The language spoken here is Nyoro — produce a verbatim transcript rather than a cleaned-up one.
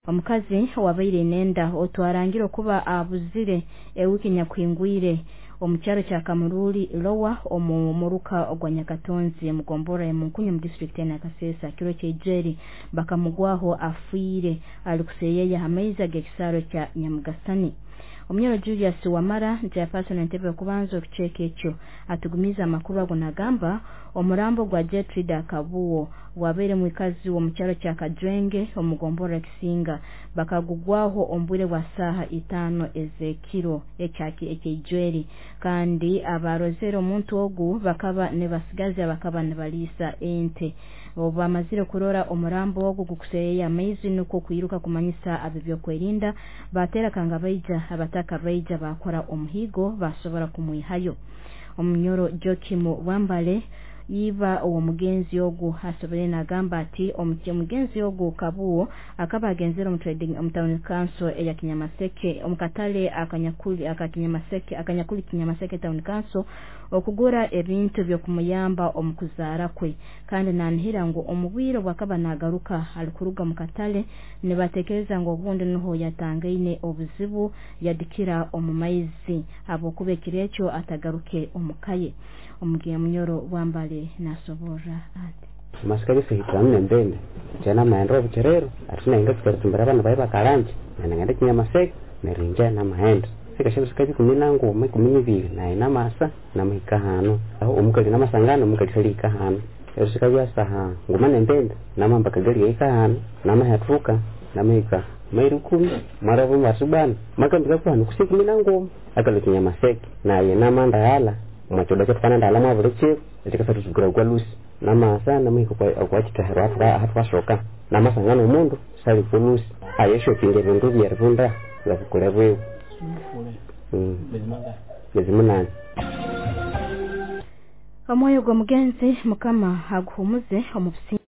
Omukazi wabaire nenda otwarangire okuba abuzire ewiki nyakuhingwire omu kyaro kya Kamururi Lower omu muruka ogwa Nyakatonzi mu gombora ya Munkunyu mu district ya Nakasesa kiro ky'eijeri bakamugwaho afiire ali kuseyeya amaizi ag'ekisaro kya Nyamugasani. Omunyoro Julius Wamara chairperson entebe okubanza okucheka ekyo atugumiza amakuru ago nagamba omurambo gwa Gertrude Kabuo wabaire mwikazi w'omukyaro kya Kajwenge omugombora Kisinga bakagugwaho ombwire bwa saha itano ezekiro ekyaki ekyejweri kandi abarozere omuntu ogu bakaba nibasigazi bakaba nibalisa ente obamazire kurora omurambo ogu gukuseyeya amaizi nuko kwiruka kumanyisa ab'ebyokwerinda batera kanga baija abataka baija bakora omuhigo basobora kumwihayo. Omunyoro Joakim Wambale iba omugenzi ogu asobole nagamba ati omugenzi ogu Kabuo akaba agenzere omu trading omu town council eya Kinyamaseke omukatale akanyakuli akakinyamaseke akanyakuli Kinyamaseke town council okugura ebintu byokumuyamba omukuzaara kwe kandi nanihira ngu omubwire bwakaba nagaruka alikuruga mukatale nibatekereza ngu obundi niho yatangaine obuzibu yadikira omu maizi habwokuba ekiro ekyo atagaruke omukaye. Omugiye Munyoro Wambale nasoborra ati masikari sihitanu nembende jana maendro obucherero atina inga tukaritumbira abana baye bakalanje nangenda Kinyamaseke nerinja na maendro sikashe ikumi na ngoma ikumi n'ibiri naye namasa namuhika hano aho omukali namasangano omukali salika hano ero sikabya saha ngoma nembende namamba kagari yahika hano namahatuka namahika mairi kumi maravo masubana makambika kuhano kusi ikumi na ngoma akalo Kinyamaseke naye namanda yala mwachoda kyatufana ndala mwabuli kiro ekikasa tuzigura kwa lusi namasa namuhika kwa kitahero hatwashoka namasangano omundu sali kwa lusi ayeshopinga ebindu byeribunda babikole bwewe miezi munane. Omwoyo gw'omugenzi Mukama aguhumuze omu businge.